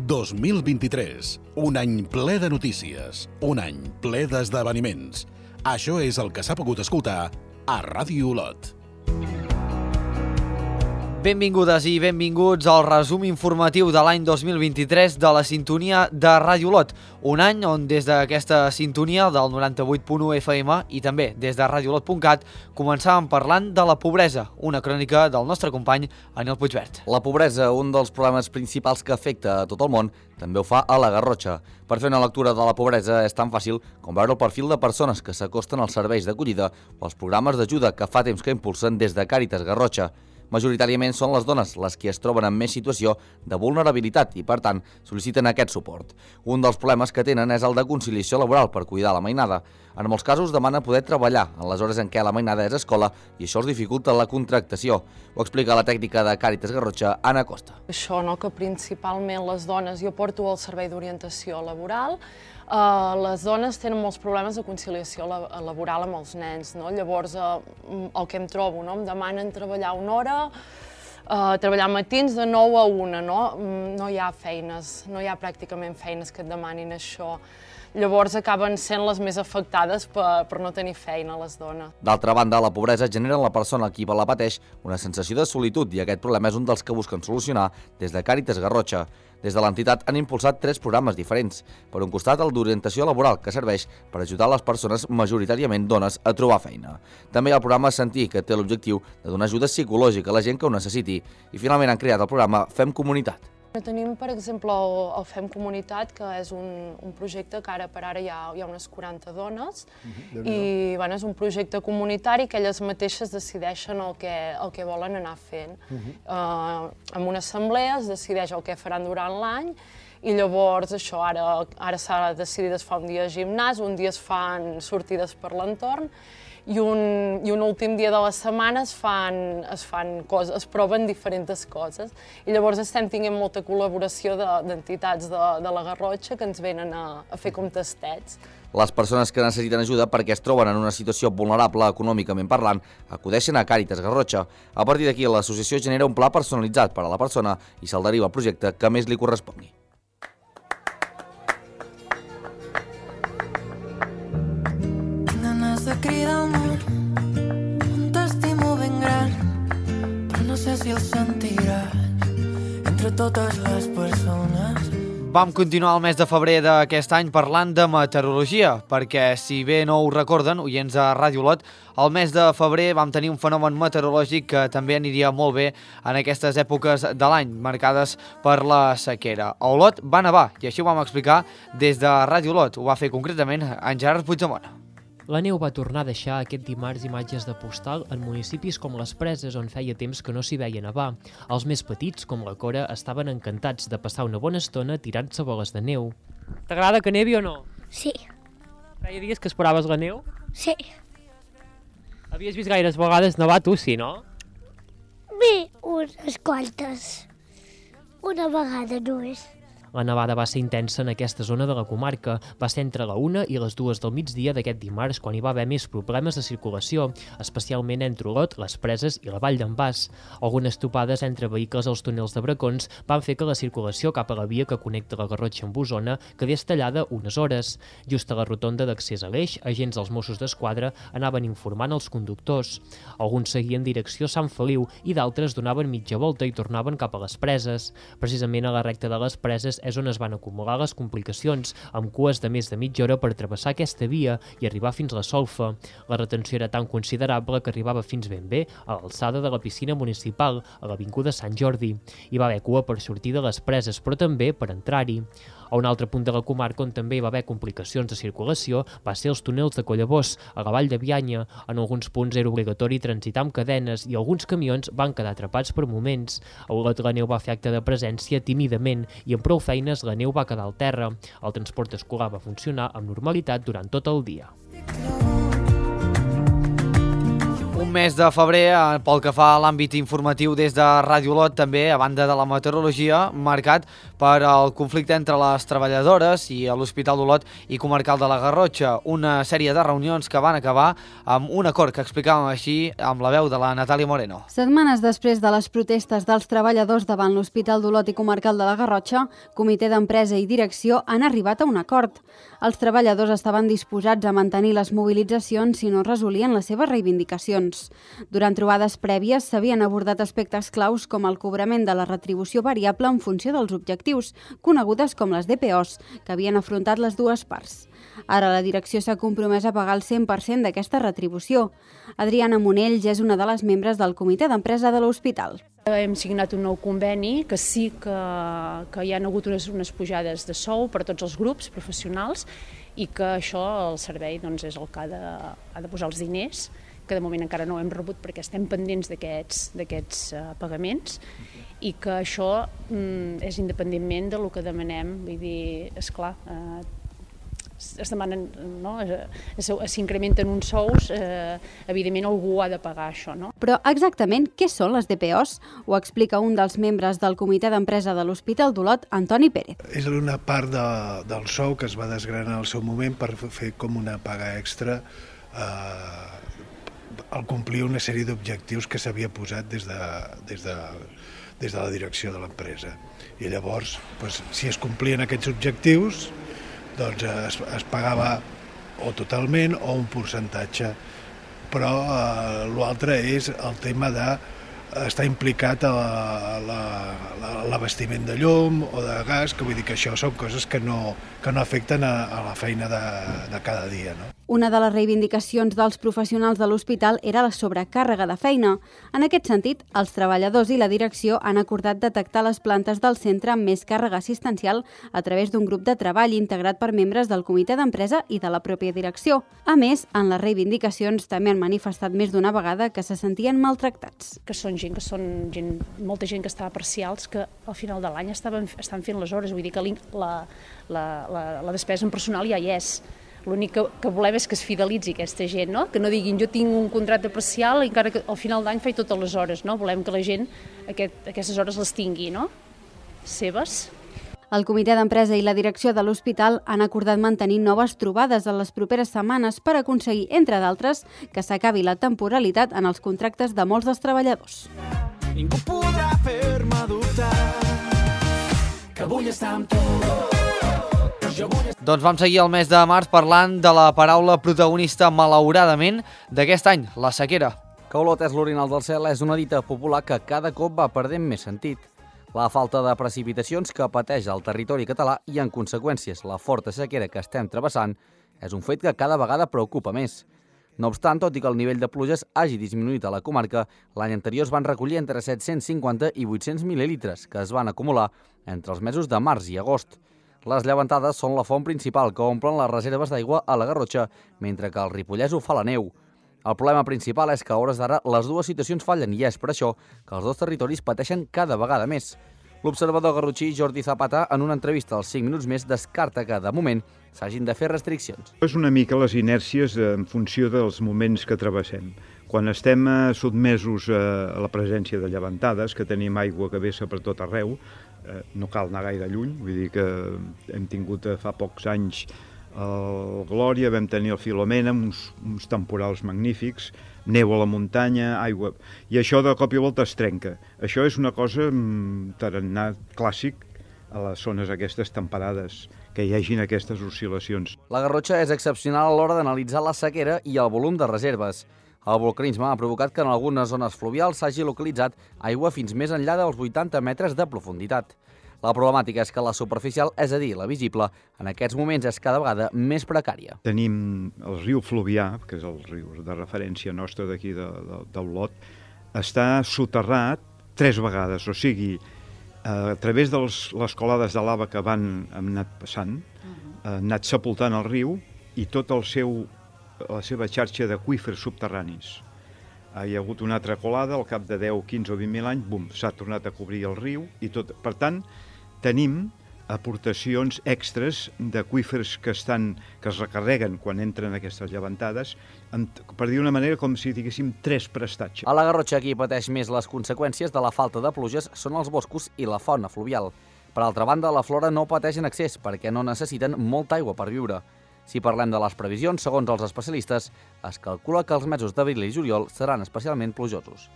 2023. Un any ple de notícies. Un any ple d'esdeveniments. Això és el que s'ha pogut escoltar a Ràdio Olot. Benvingudes i benvinguts al resum informatiu de l'any 2023 de la sintonia de Ràdio Olot. Un any on des d'aquesta sintonia del 98.1 FM i també des de radiolot.cat començàvem parlant de la pobresa, una crònica del nostre company Anil Puigvert. La pobresa, un dels problemes principals que afecta a tot el món, també ho fa a la Garrotxa. Per fer una lectura de la pobresa és tan fàcil com veure el perfil de persones que s'acosten als serveis d'acollida o als programes d'ajuda que fa temps que impulsen des de Càritas Garrotxa. Majoritàriament són les dones les que es troben en més situació de vulnerabilitat i, per tant, sol·liciten aquest suport. Un dels problemes que tenen és el de conciliació laboral per cuidar la mainada. En molts casos demana poder treballar en les hores en què la mainada és escola i això els dificulta la contractació. Ho explica la tècnica de Càritas Garrotxa, Anna Costa. Això, que principalment les dones, jo porto el servei d'orientació laboral, les dones tenen molts problemes de conciliació laboral amb els nens, llavors el que em trobo, em demanen treballar una hora, treballar matins de 9 a 1, no hi ha feines, no hi ha pràcticament feines que et demanin això. Llavors acaben sent les més afectades per no tenir feina, les dones. D'altra banda, la pobresa genera en la persona qui la pateix una sensació de solitud i aquest problema és un dels que busquen solucionar des de Càritas Garrotxa. Des de l'entitat han impulsat 3 programes diferents. Per un costat, el d'orientació laboral, que serveix per ajudar les persones majoritàriament dones a trobar feina. També hi ha el programa Sentir, que té l'objectiu de donar ajuda psicològica a la gent que ho necessiti. I finalment han creat el programa Fem Comunitat. Tenim, per exemple, el Fem Comunitat, que és un projecte que ara per ara hi ha unes 40 dones i és un projecte comunitari que elles mateixes decideixen el que volen anar fent. En una assemblea es decideix el que faran durant l'any i llavors això ara s'ha decidit es fa un dia de gimnàs, un dia es fan sortides per l'entorn i un últim dia de la setmana es proven diferents coses. I llavors estem tenint molta col·laboració d'entitats de la Garrotxa que ens venen a fer com tastets. Les persones que necessiten ajuda perquè es troben en una situació vulnerable econòmicament parlant acudeixen a Càritas Garrotxa. A partir d'aquí, l'associació genera un pla personalitzat per a la persona i se'l deriva al projecte que més li correspongui. De cridar al món un t'estimo ben gran, però no sé si el sentiràs entre totes les persones. Vam continuar el mes de febrer d'aquest any parlant de meteorologia, perquè si bé no ho recorden, oients de Ràdio Olot, el mes de febrer vam tenir un fenomen meteorològic que també aniria molt bé en aquestes èpoques de l'any, marcades per la sequera. A Olot va nevar, i així ho vam explicar des de Ràdio Olot. Ho va fer concretament en Gerard Puigdemont. La neu va tornar a deixar aquest dimarts imatges de postal en municipis com les Preses, on feia temps que no s'hi veia nevar. Els més petits, com la Cora, estaven encantats de passar una bona estona tirant-se boles de neu. T'agrada que nevi o no? Sí. Feia dies que esperaves la neu? Sí. Havies vist gaires vegades nevar tu, sí, no? Bé, unes quantes. Una vegada només. La nevada va ser intensa en aquesta zona de la comarca. Va ser entre la 1 i les 2 del migdia d'aquest dimarts quan hi va haver més problemes de circulació, especialment entre Olot, les Preses i la Vall d'en Bas. Algunes topades entre vehicles als túnels de Bracons van fer que la circulació cap a la via que connecta la Garrotxa amb Osona quedés tallada unes hores. Just a la rotonda d'accés a l'Eix, agents dels Mossos d'Esquadra anaven informant els conductors. Alguns seguien direcció Sant Feliu i d'altres donaven mitja volta i tornaven cap a les Preses. Precisament a la recta de les Preses és on es van acumular les complicacions, amb cues de més de mitja hora per travessar aquesta via i arribar fins a la Solfa. La retenció era tan considerable que arribava fins ben bé a l'alçada de la piscina municipal, a l'avinguda Sant Jordi. Hi va haver cua per sortir de les Preses, però també per entrar-hi. A un altre punt de la comarca on també hi va haver complicacions de circulació va ser els túnels de Collabós, a la Vall de Bianya. En alguns punts era obligatori transitar amb cadenes i alguns camions van quedar atrapats per moments. A Olot la neu va fer acte de presència tímidament i amb prou feines la neu va quedar al terra. El transport escolar va funcionar amb normalitat durant tot el dia. Un mes de febrer, pel que fa a l'àmbit informatiu des de Ràdio Olot, també, a banda de la meteorologia, marcat per el conflicte entre les treballadores i l'Hospital d'Olot i Comarcal de la Garrotxa. Una sèrie de reunions que van acabar amb un acord que explicàvem així amb la veu de la Natàlia Moreno. Setmanes després de les protestes dels treballadors davant l'Hospital d'Olot i Comarcal de la Garrotxa, Comitè d'Empresa i Direcció han arribat a un acord. Els treballadors estaven disposats a mantenir les mobilitzacions si no resolien les seves reivindicacions. Durant trobades prèvies s'havien abordat aspectes claus com el cobrament de la retribució variable en funció dels objectius, conegudes com les DPOs, que havien afrontat les dues parts. Ara la direcció s'ha compromès a pagar el 100% d'aquesta retribució. Adriana Monell ja és una de les membres del Comitè d'Empresa de l'Hospital. Hem signat un nou conveni que sí que hi ha hagut unes pujades de sou per a tots els grups professionals i que això el servei és el que ha de posar els diners, que de moment encara no hem rebut perquè estem pendents d'aquests pagaments i que això és independentment del que demanem. Vull dir, esclar, es demanen, s'incrementen uns sous, evidentment algú ha de pagar això, no? Però exactament què són les DPOs? Ho explica un dels membres del Comitè d'Empresa de l'Hospital d'Olot, Antoni Pérez. És una part del sou que es va desgranar al seu moment per fer com una paga extra al complir una sèrie d'objectius que s'havia posat des de la direcció de l'empresa. I llavors, si es complien aquests objectius, doncs es pagava o totalment o un percentatge, però l'altre és el tema d'estar implicat a l'abastiment de llum o de gas, que vull dir que això són coses que no afecten a la feina de cada dia, no? Una de les reivindicacions dels professionals de l'hospital era la sobrecàrrega de feina. En aquest sentit, els treballadors i la direcció han acordat detectar les plantes del centre amb més càrrega assistencial a través d'un grup de treball integrat per membres del comitè d'empresa i de la pròpia direcció. A més, en les reivindicacions també han manifestat més d'una vegada que se sentien maltractats. Que són molta gent que estava parcials, que al final de l'any estan fent les hores, vull dir que la despesa en personal ja hi és. L'únic que volem és que es fidelitzi aquesta gent, no? Que no diguin jo tinc un contracte parcial i encara que al final d'any faig totes les hores, no? Volem que la gent aquestes hores les tingui, no? Seves. El comitè d'empresa i la direcció de l'hospital han acordat mantenir noves trobades en les properes setmanes per aconseguir, entre d'altres, que s'acabi la temporalitat en els contractes de molts dels treballadors. Ningú podrà fer-me dubtar que vull estar amb tu. Doncs vam seguir el mes de març parlant de la paraula protagonista, malauradament, d'aquest any, la sequera. Que Olot és l'orinal del cel és una dita popular que cada cop va perdent més sentit. La falta de precipitacions que pateix el territori català i, en conseqüències, la forta sequera que estem travessant és un fet que cada vegada preocupa més. No obstant, tot i que el nivell de pluges hagi disminuït a la comarca, l'any anterior es van recollir entre 750 i 800 mil·lilitres que es van acumular entre els mesos de març i agost. Les llevantades són la font principal que omplen les reserves d'aigua a la Garrotxa, mentre que el Ripollès ho fa la neu. El problema principal és que a hores d'ara les dues situacions fallen i és per això que els dos territoris pateixen cada vegada més. L'observador garrotxí Jordi Zapata, en una entrevista als 5 minuts més, descarta que, de moment, s'hagin de fer restriccions. És una mica les inèrcies en funció dels moments que travessem. Quan estem sotmesos a la presència de llevantades, que tenim aigua que vessa per tot arreu, no cal anar gaire lluny, vull dir que hem tingut fa pocs anys el Glòria, vam tenir el Filomena, uns temporals magnífics, neu a la muntanya, aigua, i això de cop i volta es trenca. Això és una cosa tarannà clàssic a les zones aquestes temperades, que hi hagin aquestes oscil·lacions. La Garrotxa és excepcional a l'hora d'analitzar la sequera i el volum de reserves. El volcanisme ha provocat que en algunes zones fluvials s'hagi localitzat aigua fins més enllà dels 80 metres de profunditat. La problemàtica és que la superficial, és a dir, la visible, en aquests moments és cada vegada més precària. Tenim el riu Fluvià, que és el riu de referència nostra d'aquí d'Olot, està soterrat 3 vegades, o sigui, a través de les colades de lava que han anat passant, han anat sepultant el riu i tot la seva xarxa d'aqüífers subterranis. Hi ha hagut una altra colada, al cap de 10, 15 o 20.000 anys, bum, s'ha tornat a cobrir el riu i tot. Per tant, tenim aportacions extres d'aqüífers que es recarreguen quan entren aquestes llevantades, per dir una manera, com si diguéssim 3 prestatges. A la Garrotxa, qui pateix més les conseqüències de la falta de pluges són els boscos i la fauna fluvial. Per altra banda, la flora no pateix en excés perquè no necessiten molta aigua per viure. Si parlem de les previsions, segons els especialistes, es calcula que els mesos d'abril i juliol seran especialment plujosos.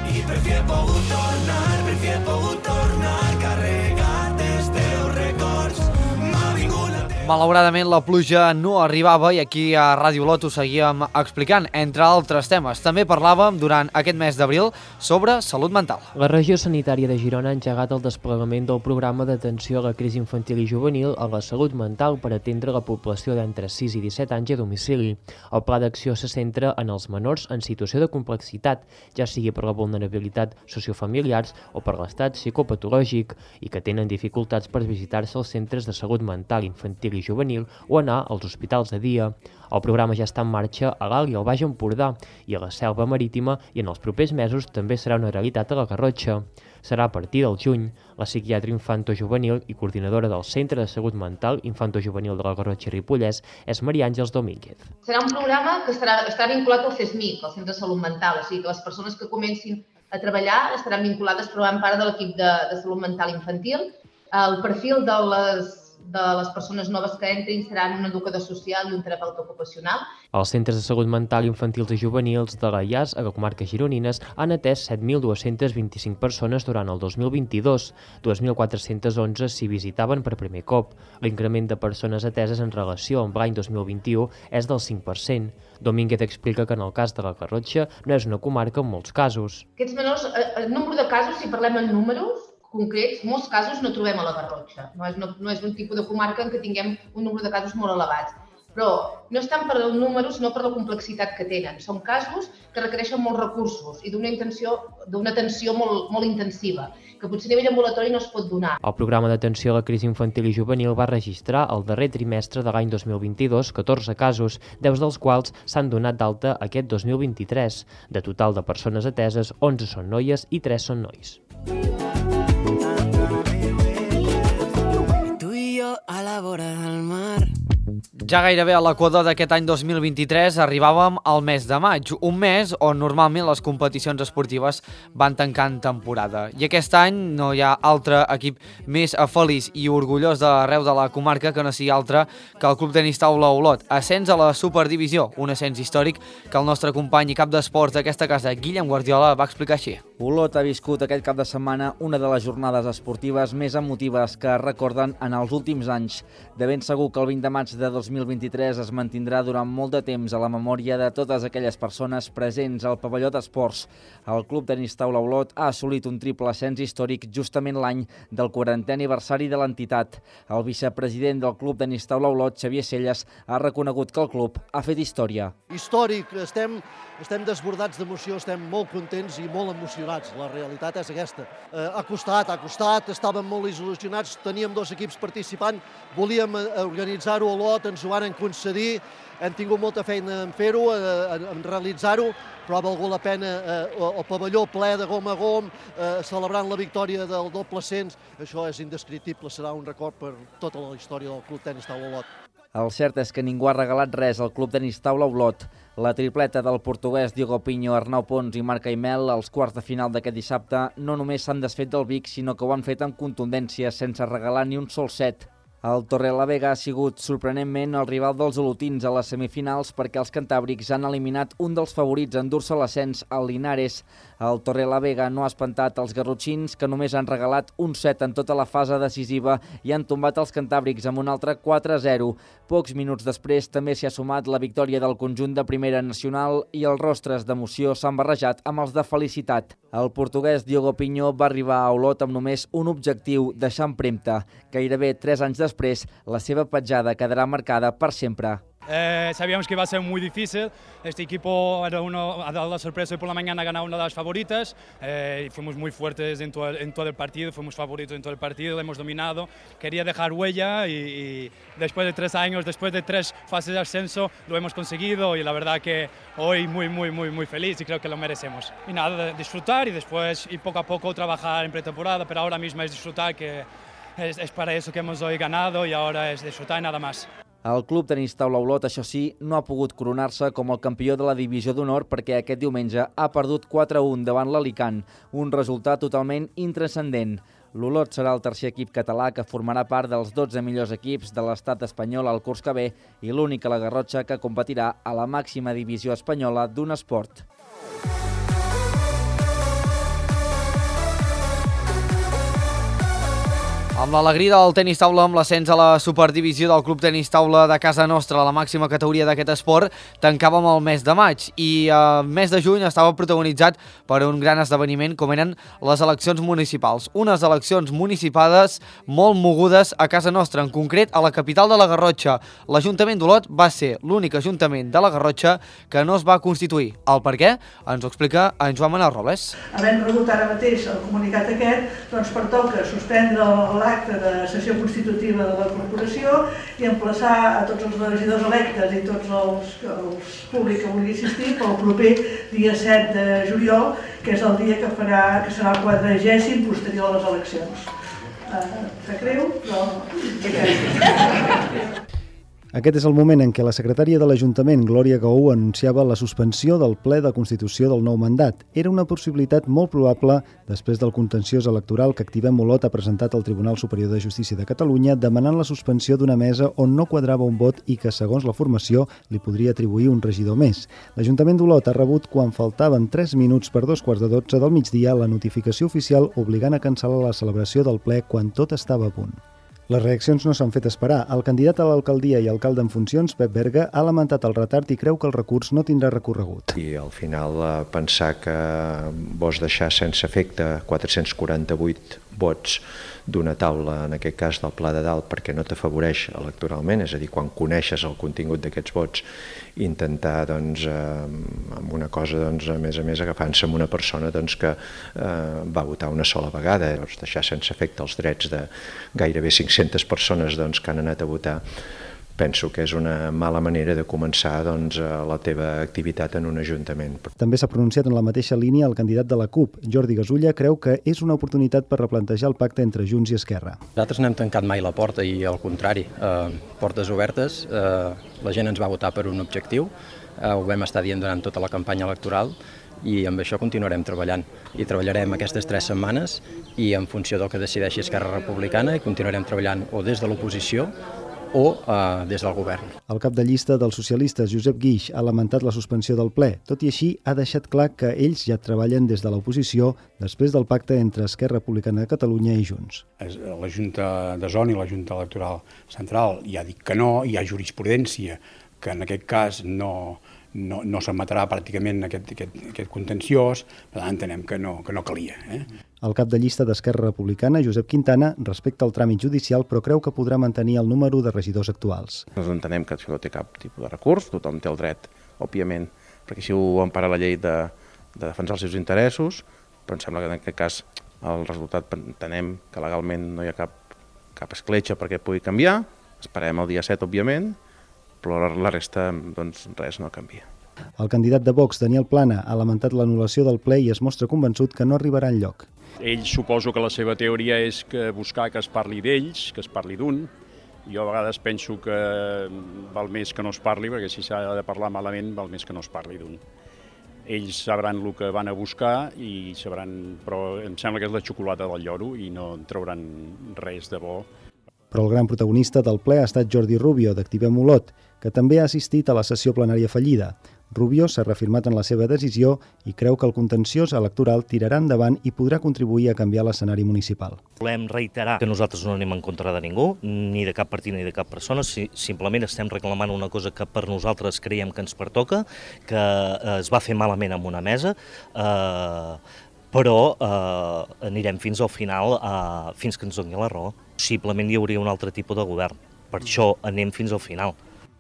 I per fi he pogut tornar carregat dels teus records. M'ha vingut la Malauradament la pluja no arribava i aquí a Ràdio Olot ho seguíem explicant, entre altres temes. També parlàvem durant aquest mes d'abril sobre salut mental. La regió sanitària de Girona ha engegat el desplegament del programa d'atenció a la crisi infantil i juvenil a la salut mental per atendre la població d'entre 6 i 17 anys a domicili. El pla d'acció se centra en els menors en situació de complexitat, ja sigui per la vulnerabilitat sociofamiliars o per l'estat psicopatològic i que tenen dificultats per visitar-se als centres de salut mental infantil i juvenil o anar als hospitals de dia. El programa ja està en marxa a l'Alt i al Baix Empordà i a la Selva Marítima i en els propers mesos també serà una realitat a la Garrotxa. Serà a partir del juny. La psiquiatra infantojuvenil i coordinadora del Centre de Salut Mental infantojuvenil de la Garrotxa i Ripollès és Maria Àngels Domínguez. Serà un programa que estarà vinculat al CESMIC, al Centre de Salut Mental, o sigui que les persones que comencin a treballar estaran vinculades, formant part de l'equip de salut mental infantil. El perfil de les persones noves que entrin seran un educador social i un terapeuta ocupacional. Els centres de salut mental infantils i juvenils de la IAS a la comarca gironines han atès 7.225 persones durant el 2022, 2.411 s'hi visitaven per primer cop. L'increment de persones ateses en relació amb l'any 2021 és del 5%. Domínguez explica que en el cas de la Garrotxa no és una comarca en molts casos. Aquests menors, el nombre de casos, si parlem en números concrets, molts casos no trobem a la Garrotxa. No és un tipus de comarca en què tinguem un número de casos molt elevats. Però no és tant per els números, no per la complexitat que tenen. Són casos que requereixen molts recursos i d'una atenció molt intensiva, que potser a nivell ambulatori no es pot donar. El programa d'atenció a la crisi infantil i juvenil va registrar el darrer trimestre de l'any 2022 14 casos, 10 dels quals s'han donat d'alta aquest 2023. De total de persones ateses, 11 són noies i 3 són nois. Tu i jo a la vora del mar. Ja gairebé a l'equador d'aquest any 2023 arribàvem al mes de maig, un mes on normalment les competicions esportives van tancant temporada. I aquest any no hi ha altre equip més feliç i orgullós d'arreu de la comarca que no sigui altre que el Club Tenis Taula Olot. Ascens a la Superdivisió, un ascens històric que el nostre company i cap d'esports d'aquesta casa, Guillem Guardiola, va explicar així. Olot ha viscut aquest cap de setmana una de les jornades esportives més emotives que es recorden en els últims anys. De ben segur que el 20 de maig de 2023 es mantindrà durant molt de temps a la memòria de totes aquelles persones presents al pavelló d'esports. El Club Tenis Taula Olot ha assolit un triple ascens històric justament l'any del 40è aniversari de l'entitat. El vicepresident del Club Tenis Taula Olot, Xavier Celles, ha reconegut que el club ha fet història. Històric, estem desbordats d'emoció, estem molt contents i molt emocionats. La realitat és aquesta. Ha costat, estàvem molt il·lusionats, teníem 2 equips participant, volíem organitzar-ho a Olot, ens ho van concedir, hem tingut molta feina en fer-ho, en realitzar-ho, però ha valgut la pena el pavelló ple de gom a gom, celebrant la victòria del doble ascens. Això és indescriptible, serà un record per tota la història del Club Tenis Taula Olot. El cert és que ningú ha regalat res al Club Tenis Taula Olot. La tripleta del portuguès Diogo Pinho, Arnau Pons i Marc Aimel als quarts de final d'aquest dissabte no només s'han desfet del Vic, sinó que ho han fet amb contundència, sense regalar ni un sol set. El Torrelavega ha sigut sorprenentment el rival dels olotins a les semifinals perquè els cantàbrics han eliminat un dels favorits a endur-se l'ascens, el Linares. El Torrelavega no ha espantat els garrotxins, que només han regalat un set en tota la fase decisiva i han tombat els cantàbrics amb un altre 4-0. Pocs minuts després també s'hi ha sumat la victòria del conjunt de Primera Nacional i els rostres d'emoció s'han barrejat amb els de felicitat. El portuguès Diogo Pinho va arribar a Olot amb només un objectiu, deixar empremta. Gairebé 3 anys després, la seva petjada quedarà marcada per sempre. Sabíamos que iba a ser muy difícil. Este equipo ha dado la sorpresa y por la mañana ha ganado una de las favoritas. Fuimos muy fuertes en todo el partido, fuimos favoritos en todo el partido, lo hemos dominado. Quería dejar huella y después de 3 años, después de 3 fases de ascenso, lo hemos conseguido y la verdad que hoy muy feliz y creo que lo merecemos. Y nada, disfrutar y después y poco a poco trabajar en pretemporada, pero ahora mismo es disfrutar que es para eso que hemos hoy ganado y ahora es disfrutar y nada más. El Club Tenis Taula Olot, això sí, no ha pogut coronar-se com el campió de la divisió d'honor perquè aquest diumenge ha perdut 4-1 davant l'Alicant, un resultat totalment intranscendent. L'Olot serà el tercer equip català que formarà part dels 12 millors equips de l'estat espanyol al curs que ve i l'únic a la Garrotxa que competirà a la màxima divisió espanyola d'un esport. Amb l'alegria del tenis taula, amb l'ascens a la superdivisió del Club Tenis Taula de casa nostra, la màxima categoria d'aquest esport, tancàvem el mes de maig i el mes de juny estava protagonitzat per un gran esdeveniment com eren les eleccions municipals. Unes eleccions municipades molt mogudes a casa nostra, en concret a la capital de la Garrotxa. L'Ajuntament d'Olot va ser l'únic ajuntament de la Garrotxa que no es va constituir. El per què ens ho explica en Joan Manuel Robles. Havent rebut ara mateix el comunicat aquest, doncs pertoca suspendre l'acte de sessió constitutiva de la corporació i emplaçar a tots els regidors electes i tots els públics que vulgui assistir pel proper dia 7 de juliol, que és el dia que serà el 40è posterior a les eleccions. Sap greu, però... Aquest és el moment en què la secretària de l'Ajuntament, Glòria Gaú, anunciava la suspensió del ple de constitució del nou mandat. Era una possibilitat molt probable després del contenciós electoral que Activem Olot ha presentat al Tribunal Superior de Justícia de Catalunya demanant la suspensió d'una mesa on no quadrava un vot i que, segons la formació, li podria atribuir un regidor més. L'Ajuntament d'Olot ha rebut, quan faltaven 3 minuts per 2:15 del migdia, la notificació oficial obligant a cancel·lar la celebració del ple quan tot estava a punt. Les reaccions no s'han fet esperar. El candidat a l'alcaldia i alcalde en funcions, Pep Berga, ha lamentat el retard i creu que el recurs no tindrà recorregut. I al final pensar que vols deixar sense efecte 448 vots d'una taula, en aquest cas del Pla de Dalt, perquè no t'afavoreix electoralment, és a dir, quan coneixes el contingut d'aquests vots, intentar, amb una cosa, a més agafant-se amb una persona que va votar una sola vegada, deixar sense efecte els drets de gairebé 500 persones que han anat a votar, penso que és una mala manera de començar la teva activitat en un ajuntament. També s'ha pronunciat en la mateixa línia el candidat de la CUP. Jordi Gasulla creu que és una oportunitat per replantejar el pacte entre Junts i Esquerra. Nosaltres no hem tancat mai la porta i al contrari, portes obertes, la gent ens va votar per un objectiu, ho vam estar dient durant tota la campanya electoral i amb això continuarem treballant. I treballarem aquestes 3 setmanes i en funció del que decideixi Esquerra Republicana i continuarem treballant o des de l'oposició o des del govern. El cap de llista dels socialistes, Josep Guix, ha lamentat la suspensió del ple. Tot i així, ha deixat clar que ells ja treballen des de l'oposició després del pacte entre Esquerra Republicana de Catalunya i Junts. La Junta de Zona i la Junta Electoral Central ja ha dit que no, hi ha jurisprudència que en aquest cas no s'admetrà pràcticament aquest contenciós, per tant entenem que no calia. El cap de llista d'Esquerra Republicana, Josep Quintana, respecta el tràmit judicial però creu que podrà mantenir el número de regidors actuals. No entenem que això no té cap tipus de recurs, tothom té el dret, òbviament, perquè si ho empara la llei de defensar els seus interessos, però em sembla que en aquest cas el resultat entenem que legalment no hi ha cap escletxa perquè pugui canviar, esperem el dia 7, òbviament, però la resta, res no canvia. El candidat de Vox, Daniel Plana, ha lamentat l'anul·lació del ple i es mostra convençut que no arribarà enlloc. Ell suposo que la seva teoria és buscar que es parli d'ells, que es parli d'un. Jo a vegades penso que val més que no es parli, perquè si s'ha de parlar malament val més que no es parli d'un. Ells sabran el que van a buscar, però em sembla que és la xocolata del lloro i no en trauran res de bo. Però el gran protagonista del ple ha estat Jordi Rubio, d'Activem Olot, que també ha assistit a la sessió plenària fallida. Rubio s'ha reafirmat en la seva decisió i creu que el contenciós electoral tirarà endavant i podrà contribuir a canviar l'escenari municipal. Volem reiterar que nosaltres no anem en contra de ningú, ni de cap partit ni de cap persona, simplement estem reclamant una cosa que per nosaltres creiem que ens pertoca, que es va fer malament amb una mesa, però anirem fins al final, fins que ens doni la raó. Possiblement hi hauria un altre tipus de govern, per això anem fins al final.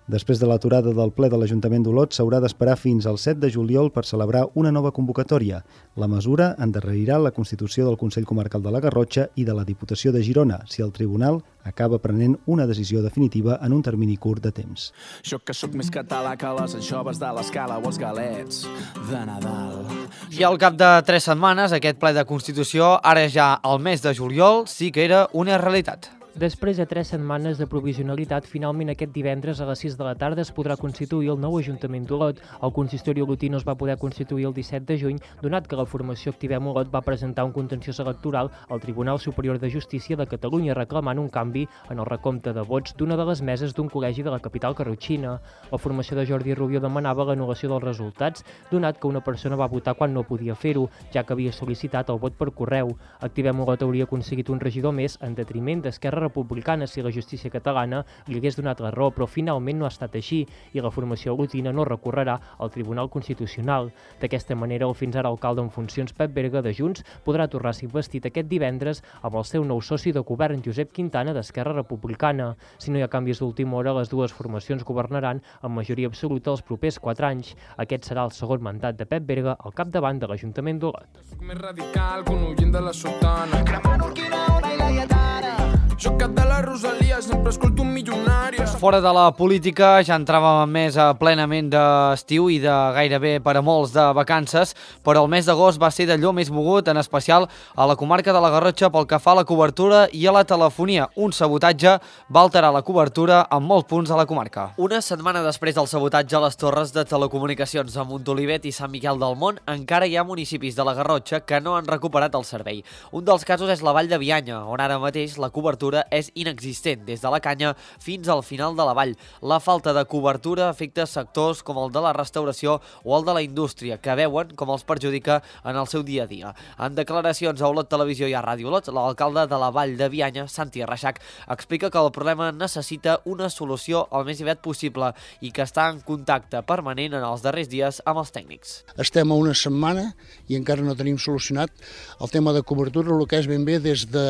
Després de l'aturada del ple de l'Ajuntament d'Olot, s'haurà d'esperar fins al 7 de juliol per celebrar una nova convocatòria. La mesura endarrerirà la constitució del Consell Comarcal de la Garrotxa i de la Diputació de Girona, si el Tribunal acaba prenent una decisió definitiva en un termini curt de temps. Jo que sóc més català que les anxoves de l'Escala o els galets de Nadal. I al cap de 3 setmanes, aquest ple de Constitució, ara ja al mes de juliol, sí que era una realitat. Després de 3 setmanes de provisionalitat, finalment aquest divendres a les 6 de la tarda es podrà constituir el nou Ajuntament d'Olot. El consistori olotí no es va poder constituir el 17 de juny, donat que la formació Activem Olot va presentar un contenciós electoral al Tribunal Superior de Justícia de Catalunya reclamant un canvi en el recompte de vots d'una de les meses d'un col·legi de la capital garrotxina. La formació de Jordi Rubio demanava l'anul·lació dels resultats, donat que una persona va votar quan no podia fer-ho, ja que havia sol·licitat el vot per correu. Activem Olot hauria aconseguit un regidor més en detriment d'Esquerra Republicana si la justícia catalana li hagués donat la raó, però finalment no ha estat així i la formació olotina no recorrerà al Tribunal Constitucional. D'aquesta manera, el fins ara alcalde en funcions Pep Berga de Junts podrà tornar a ser investit aquest divendres amb el seu nou soci de govern Josep Quintana d'Esquerra Republicana. Si no hi ha canvis d'última hora, les dues formacions governaran amb majoria absoluta els propers 4 anys. Aquest serà el segon mandat de Pep Berga al capdavant de l'Ajuntament d'Olot. Soc més radical que un ullent de la sotana. Cremant Urquina, Ona i la Lletana. Jo cap de la Rosalia sempre escolto un milionària. Fora de la política ja entràvem més plenament d'estiu i de gairebé per a molts de vacances, però el mes d'agost va ser d'allò més mogut, en especial a la comarca de la Garrotxa pel que fa a la cobertura i a la telefonia. Un sabotatge va alterar la cobertura en molts punts de la comarca. Una setmana després del sabotatge a les torres de telecomunicacions a Montolivet i Sant Miquel del Mont, encara hi ha municipis de la Garrotxa que no han recuperat el servei. Un dels casos és la Vall de Bianya, on ara mateix la cobertura és inexistent, des de la Canya fins al final de la vall. La falta de cobertura afecta sectors com el de la restauració o el de la indústria, que veuen com els perjudica en el seu dia a dia. En declaracions a Olot Televisió i a Ràdio Olot, l'alcalde de la Vall de Bianya, Santi Reixac, explica que el problema necessita una solució el més aviat possible i que està en contacte permanent en els darrers dies amb els tècnics. Estem a una setmana i encara no tenim solucionat el tema de cobertura, el que és ben bé des de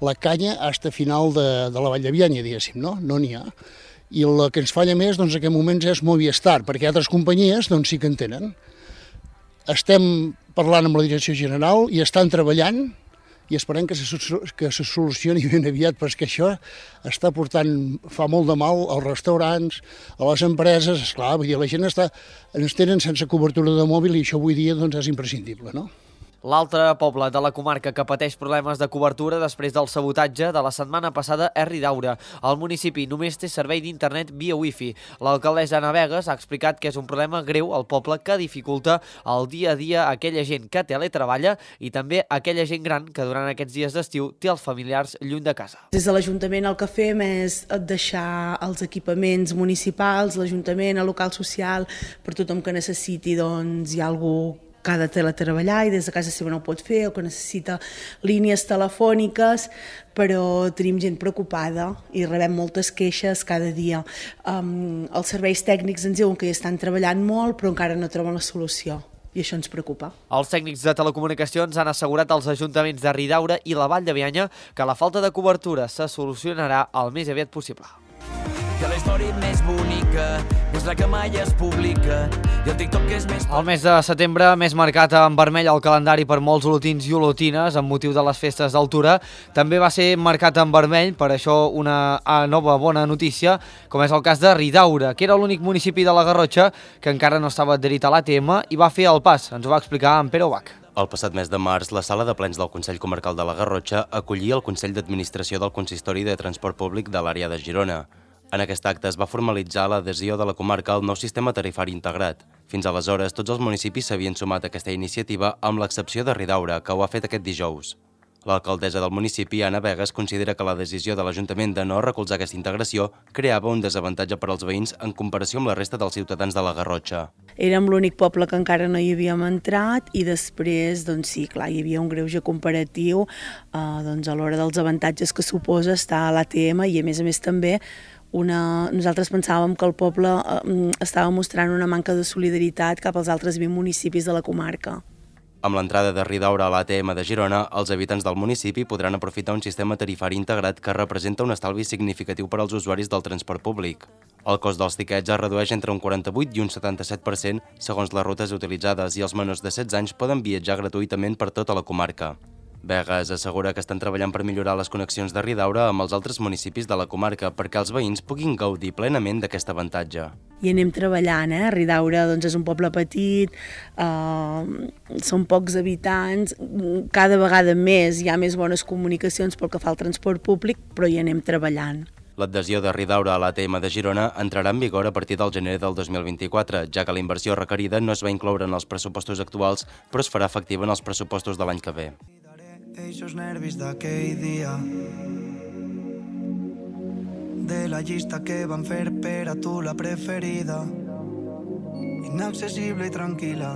la Canya fins a final de la Vall de Bianya, diguéssim, no? No n'hi ha. I el que ens falla més, doncs, en aquests moments és Movistar, perquè altres companyies, doncs, sí que en tenen. Estem parlant amb la direcció general i estan treballant i esperem que se solucioni ben aviat, perquè això està portant, fa molt de mal als restaurants, a les empreses, esclar, vull dir, la gent ens tenen sense cobertura de mòbil i això avui dia doncs, és imprescindible, no? L'altre poble de la comarca que pateix problemes de cobertura després del sabotatge de la setmana passada és Ridaura. El municipi només té servei d'internet via wifi. L'alcaldessa Ana Vegas ha explicat que és un problema greu al poble que dificulta el dia a dia a aquella gent que teletreballa i també a aquella gent gran que durant aquests dies d'estiu té els familiars lluny de casa. Des de l'Ajuntament el que fem és deixar els equipaments municipals, l'Ajuntament, el local social, per tothom que necessiti, doncs hi ha algú que ha de teletreballar i des de casa seva no ho pot fer, o que necessita línies telefòniques, però tenim gent preocupada i rebem moltes queixes cada dia. Els serveis tècnics ens diuen que hi estan treballant molt, però encara no troben la solució. I això ens preocupa. Els tècnics de telecomunicacions han assegurat als ajuntaments de Ridaura i la Vall de Bianya que la falta de cobertura se solucionarà el més aviat possible. Que la història més bonica és la que mai es publica i el TikTok és més... El mes de setembre, més marcat en vermell al calendari per molts olotins i olotines amb motiu de les festes d'altura, també va ser marcat en vermell, per això una nova bona notícia, com és el cas de Ridaura, que era l'únic municipi de la Garrotxa que encara no estava adherit a l'ATM i va fer el pas. Ens ho va explicar en Pere Ubach. El passat mes de març, la sala de plens del Consell Comarcal de la Garrotxa acollia el Consell d'Administració del Consistori de Transport Públic de l'àrea de Girona. En aquest acte es va formalitzar l'adhesió de la comarca al nou sistema tarifari integrat. Fins aleshores, tots els municipis s'havien sumat a aquesta iniciativa amb l'excepció de Ridaura, que ho ha fet aquest dijous. L'alcaldessa del municipi, Ana Vegas, considera que la decisió de l'Ajuntament de no recolzar aquesta integració creava un desavantatge per als veïns en comparació amb la resta dels ciutadans de la Garrotxa. Érem l'únic poble que encara no hi havíem entrat i després, doncs sí, clar, hi havia un greuge comparatiu doncs a l'hora dels avantatges que suposa estar a l'ATM i a més també nosaltres pensàvem que el poble estava mostrant una manca de solidaritat cap als altres 20 municipis de la comarca. Amb l'entrada de Ridaura a l'ATM de Girona, els habitants del municipi podran aprofitar un sistema tarifari integrat que representa un estalvi significatiu per als usuaris del transport públic. El cost dels tiquets es redueix entre un 48 i un 77% segons les rutes utilitzades i els menors de 16 anys poden viatjar gratuïtament per tota la comarca. Begues assegura que estan treballant per millorar les connexions de Ridaura amb els altres municipis de la comarca perquè els veïns puguin gaudir plenament d'aquest avantatge. I anem treballant, Ridaura és un poble petit, són pocs habitants, cada vegada més hi ha més bones comunicacions pel que fa al transport públic, però hi anem treballant. L'adhesió de Ridaura a l'ATM de Girona entrarà en vigor a partir del gener del 2024, ja que la inversió requerida no es va incloure en els pressupostos actuals, però es farà efectiva en els pressupostos de l'any que ve. Eixos nervis d'aquell dia de la llista que van fer per a tu la preferida, inaccessible i tranquil·la,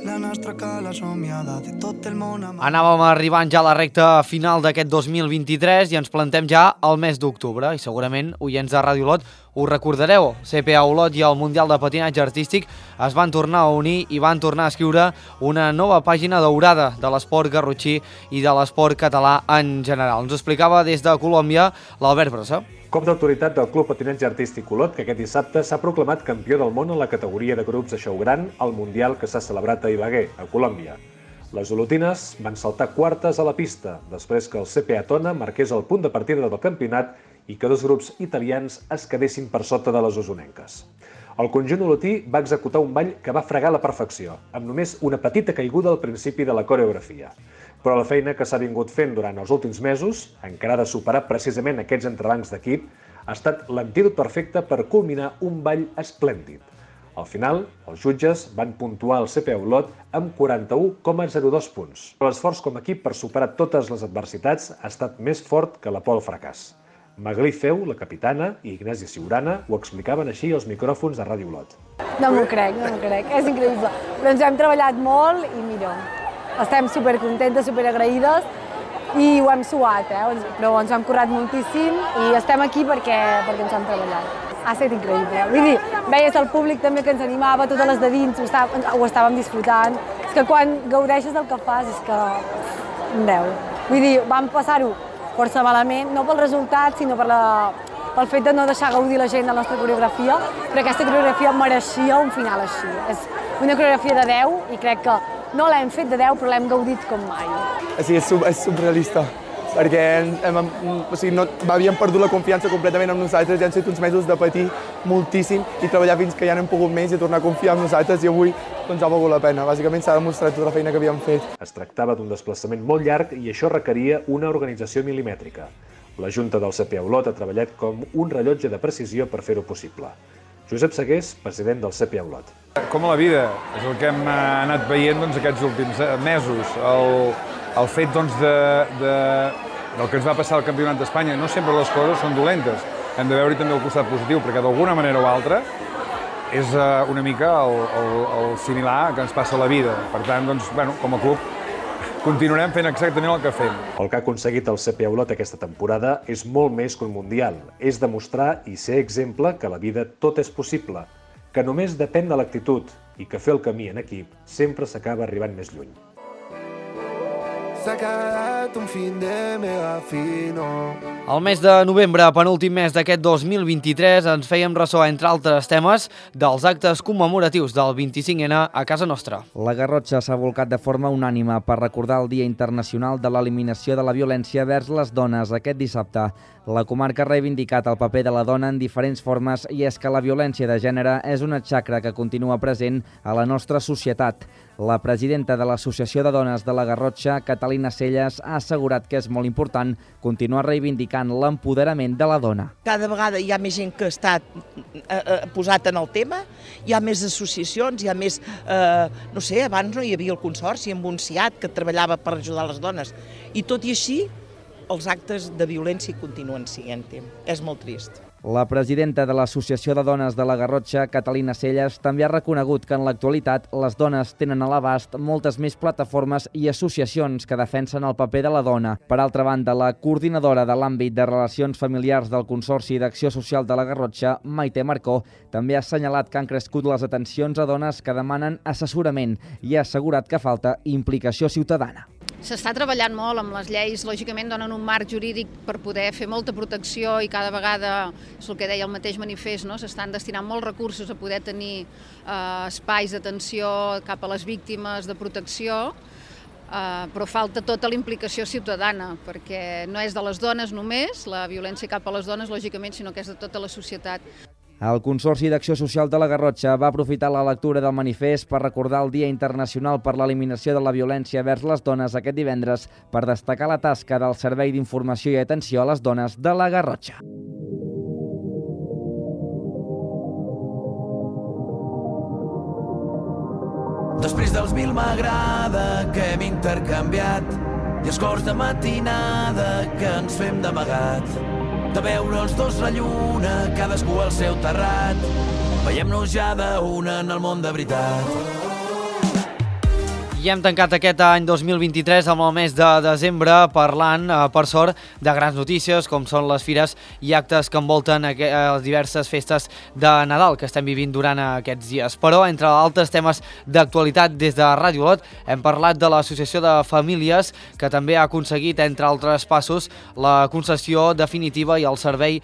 la nostra cala somiada de tot el món. Anàvem arribant ja a la recta final d'aquest 2023 i ens plantem ja al mes d'octubre i segurament, oients de Ràdio Olot, ho recordareu. CPA Olot i el Mundial de Patinatge Artístic es van tornar a unir i van tornar a escriure una nova pàgina daurada de l'esport garrotxí i de l'esport català en general. Ens ho explicava des de Colòmbia l'Albert Brossa. Cop d'autoritat del Club Patinatge Artístic Olot, que aquest dissabte s'ha proclamat campió del món en la categoria de grups de xou gran al Mundial que s'ha celebrat a Ibagué, a Colòmbia. Les olotines van saltar quartes a la pista, després que el CPA Tona marqués el punt de partida del campionat i que dos grups italians es quedessin per sota de les osonenques. El conjunt olotí va executar un ball que va fregar a la perfecció, amb només una petita caiguda al principi de la coreografia. Però la feina que s'ha vingut fent durant els últims mesos, encara de superar precisament aquests entrebancs d'equip, ha estat l'antídot perfecte per culminar un ball esplèndid. Al final, els jutges van puntuar el CPA Olot amb 41,02 punts. L'esforç com a equip per superar totes les adversitats ha estat més fort que la por al fracàs. Maglí Feu, la capitana, i Ignasi Siurana ho explicaven així als micròfons de Ràdio Olot. No m'ho crec, és increïble. Però ens hem treballat molt i mira, estem supercontentes, superagraïdes i ho hem suat, però ens ho hem currat moltíssim i estem aquí perquè ens hem treballat. Ha estat increïble. Vull dir, veies el públic també que ens animava, totes les de dins, ho estàvem disfrutant. És que quan gaudeixes del que fas és que... Vull dir, vam passar-ho força malament, no pel resultat, sinó pel fet de no deixar gaudir la gent de la nostra coreografia, però aquesta coreografia mereixia un final així. És una coreografia de 10 i crec que no l'hem fet de 10, però l'hem gaudit com mai. Sí, és surrealista, perquè havíem perdut la confiança completament en nosaltres, ja han estat uns mesos de patir moltíssim i treballar fins que ja n'hem pogut més i tornar a confiar en nosaltres i avui ha valgut la pena. Bàsicament s'ha demostrat tota la feina que havíem fet. Es tractava d'un desplaçament molt llarg i això requeria una organització milimètrica. La Junta del CPA Olot ha treballat com un rellotge de precisió per fer-ho possible. Josep Segués, president del CPA Olot. Com a la vida, és el que hem anat veient aquests últims mesos. El fet del que ens va passar al Campionat d'Espanya, no sempre les coses són dolentes. Hem de veure també el costat positiu, perquè d'alguna manera o altra és una mica el similar que ens passa a la vida. Per tant, com a club, continuarem fent exactament el que fem. El que ha aconseguit el CPA Olot aquesta temporada és molt més que un mundial. És demostrar i ser exemple que a la vida tot és possible, que només depèn de l'actitud i que fer el camí en equip sempre s'acaba arribant més lluny. S'ha quedat un fin de mega fino. El mes de novembre, penúltim mes d'aquest 2023, ens fèiem ressò, entre altres temes, dels actes commemoratius del 25N a casa nostra. La Garrotxa s'ha volcat de forma unànime per recordar el Dia Internacional de l'Eliminació de la Violència vers les dones aquest dissabte. La comarca ha reivindicat el paper de la dona en diferents formes i és que la violència de gènere és una xacra que continua present a la nostra societat. La presidenta de l'Associació de Dones de la Garrotxa, Catalina Celles, ha assegurat que és molt important continuar reivindicant l'empoderament de la dona. Cada vegada hi ha més gent que està posat en el tema, hi ha més associacions, hi ha més... no sé, abans no hi havia el Consorci amb un CIAT que treballava per ajudar les dones. I tot i així, els actes de violència continuen sent. És molt trist. La presidenta de l'Associació de Dones de la Garrotxa, Catalina Celles, també ha reconegut que en l'actualitat les dones tenen a l'abast moltes més plataformes i associacions que defensen el paper de la dona. Per altra banda, la coordinadora de l'àmbit de relacions familiars del Consorci d'Acció Social de la Garrotxa, Maite Marcó, també ha assenyalat que han crescut les atencions a dones que demanen assessorament i ha assegurat que falta implicació ciutadana. S'està treballant molt amb les lleis, lògicament donen un marc jurídic per poder fer molta protecció i cada vegada, és el que deia el mateix manifest, no? S'estan destinant molts recursos a poder tenir espais d'atenció cap a les víctimes de protecció, però falta tota la implicació ciutadana, perquè no és de les dones només, la violència cap a les dones, lògicament, sinó que és de tota la societat. El Consorci d'Acció Social de la Garrotxa va aprofitar la lectura del manifest per recordar el Dia Internacional per l'Eliminació de la Violència vers les Dones aquest divendres per destacar la tasca del Servei d'Informació i Atenció a les Dones de la Garrotxa. Després dels 1000 m'agrada que hem intercanviat i els cors de matinada que ens fem d'amagat. De veure els dos la lluna, cadascú al seu terrat. Veiem-nos ja d'una en el món de veritat. I hem tancat aquest any 2023 amb el mes de desembre parlant, per sort, de grans notícies com són les fires i actes que envolten les diverses festes de Nadal que estem vivint durant aquests dies. Però, entre altres temes d'actualitat des de Ràdio Olot, hem parlat de l'Associació de Famílies que també ha aconseguit, entre altres passos, la concessió definitiva i el servei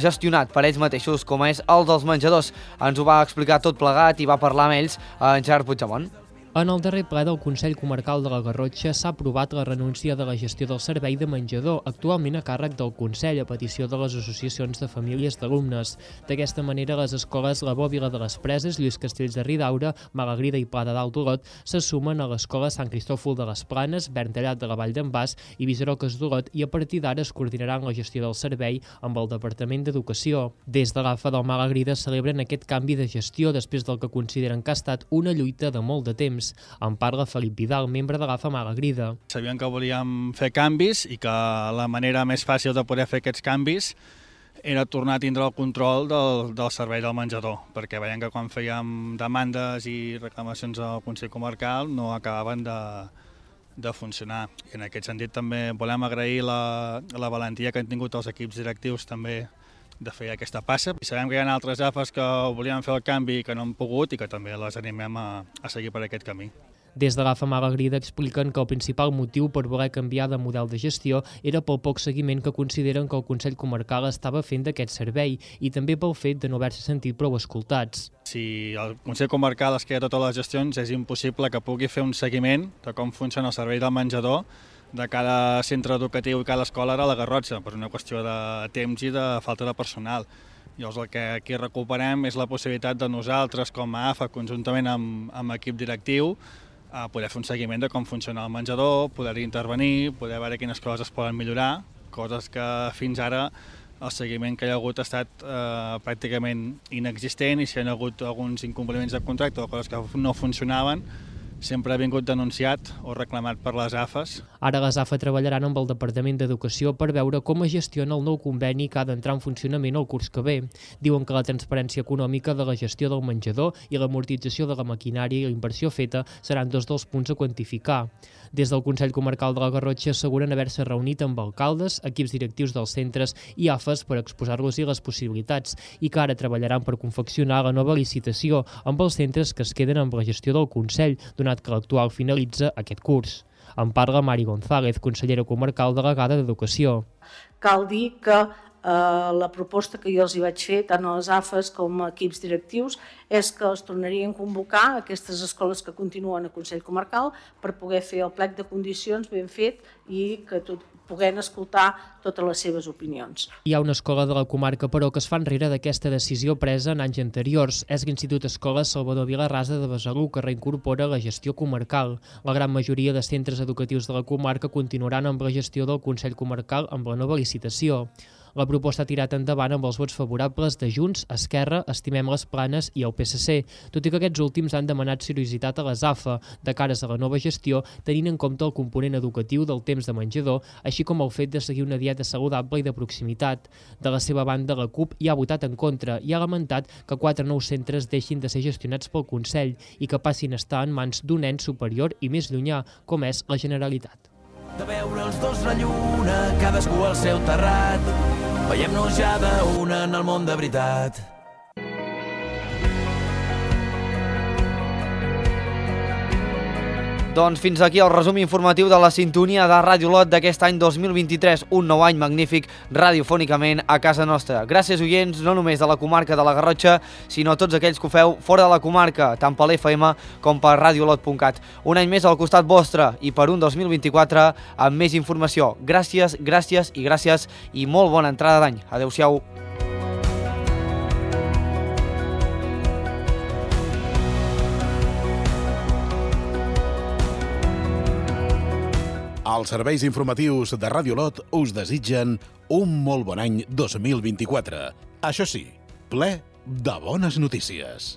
gestionat per ells mateixos, com és el dels menjadors. Ens ho va explicar tot plegat i va parlar amb ells en Gerard Puigdemont. En el darrer ple del Consell Comarcal de la Garrotxa s'ha aprovat la renúncia de la gestió del servei de menjador, actualment a càrrec del Consell a petició de les associacions de famílies d'alumnes. D'aquesta manera, les escoles La Bòbila de les Preses, Lluís Castells de Ridaura, Malagrida i Pla de Dalt d'Olot se sumen a l'escola Sant Cristòfol de les Planes, Verntallat de la Vall d'en Bas i Visaroques d'Olot i a partir d'ara es coordinaran la gestió del servei amb el Departament d'Educació. Des de l'AFA del Malagrida celebren aquest canvi de gestió després del que consideren que ha estat una lluita de molt de temps. En parla Felip Vidal, membre de l'AFA Malagrida. Sabíem que volíem fer canvis i que la manera més fàcil de poder fer aquests canvis era tornar a tindre el control del servei del menjador, perquè veiem que quan fèiem demandes i reclamacions al Consell Comarcal no acabaven de funcionar. I en aquest sentit també volem agrair la valentia que han tingut els equips directius també de fer aquesta passa. I sabem que hi ha altres AFAs que volien fer el canvi i que no han pogut i que també les animem a seguir per aquest camí. Des de l'AFA Malagrida expliquen que el principal motiu per voler canviar de model de gestió era pel poc seguiment que consideren que el Consell Comarcal estava fent d'aquest servei i també pel fet de no haver-se sentit prou escoltats. Si el Consell Comarcal es queda totes les gestions, és impossible que pugui fer un seguiment de com funciona el servei del menjador de cada centre educatiu i cada escola a la Garrotxa, per una qüestió de temps i de falta de personal. Llavors el que aquí recuperem és la possibilitat de nosaltres com a AFA, conjuntament amb equip directiu, poder fer un seguiment de com funciona el menjador, poder intervenir, poder veure quines coses es poden millorar, coses que fins ara el seguiment que hi ha hagut ha estat pràcticament inexistent i si hi ha hagut alguns incompliments de contracte o coses que no funcionaven, sempre ha vingut denunciat o reclamat per les AFAs. Ara les AFA treballaran amb el Departament d'Educació per veure com es gestiona el nou conveni que ha d'entrar en funcionament el curs que ve. Diuen que la transparència econòmica de la gestió del menjador i l'amortització de la maquinària i la inversió feta seran dos dels punts a quantificar. Des del Consell Comarcal de la Garrotxa asseguren haver-se reunit amb alcaldes, equips directius dels centres i AFAs per exposar-los-hi les possibilitats i que ara treballaran per confeccionar la nova licitació amb els centres que es queden amb la gestió del Consell, donat que l'actual finalitza aquest curs. En parla Mari González, consellera comarcal delegada d'Educació. Cal dir que la proposta que jo els hi vaig fer, tant a les AFAs com a equips directius, és que els tornarien a convocar aquestes escoles que continuen a Consell Comarcal per poder fer el plec de condicions ben fet i que puguem escoltar totes les seves opinions. Hi ha una escola de la comarca, però, que es fa enrere d'aquesta decisió presa en anys anteriors. És l'Institut Escola Salvador Vilarrasa de Besalú, que reincorpora la gestió comarcal. La gran majoria de centres educatius de la comarca continuaran amb la gestió del Consell Comarcal amb la nova licitació. La proposta ha tirat endavant amb els vots favorables de Junts, Esquerra, Estimem les Planes i el PSC, tot i que aquests últims han demanat seriositat a les AFA de cares a la nova gestió, tenint en compte el component educatiu del temps de menjador, així com el fet de seguir una dieta saludable i de proximitat. De la seva banda, la CUP hi ha votat en contra i ha lamentat que 4 nous centres deixin de ser gestionats pel Consell i que passin a estar en mans d'un ens superior i més llunyà, com és la Generalitat. De veure els dos la lluna, cadascú al seu terrat, veiem-nos ja d'una en el món de veritat. Doncs fins aquí el resum informatiu de la sintonia de Ràdio Lot d'aquest any 2023, un nou any magnífic radiofònicament a casa nostra. Gràcies, oients, no només de la comarca de la Garrotxa, sinó a tots aquells que ho feu fora de la comarca, tant per l'FM com per radiolot.cat. Un any més al costat vostre i per un 2024 amb més informació. Gràcies, gràcies i gràcies i molt bona entrada d'any. Adéu-siau. Els serveis informatius de Ràdio Lot us desitgen un molt bon any 2024. Això sí, ple de bones notícies.